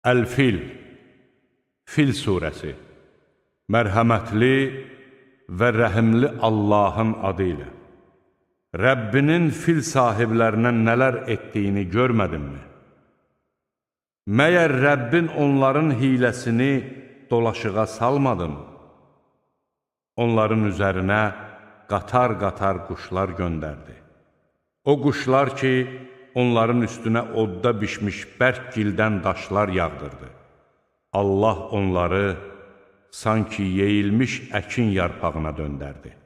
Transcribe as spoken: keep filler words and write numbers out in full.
Əl-Fil, Fil surəsi, mərhəmətli və rəhimli Allahın adı ilə. Rəbbinin fil sahiblərinə nələr etdiyini görmədinmi? Məyər Rəbbin onların hiləsini dolaşığa salmadın? Onların üzərinə qatar-qatar quşlar göndərdi. O quşlar ki, onların üstünə odda bişmiş bərk gildən daşlar yağdırdı. Allah onları sanki yeyilmiş əkin yarpağına döndərdi.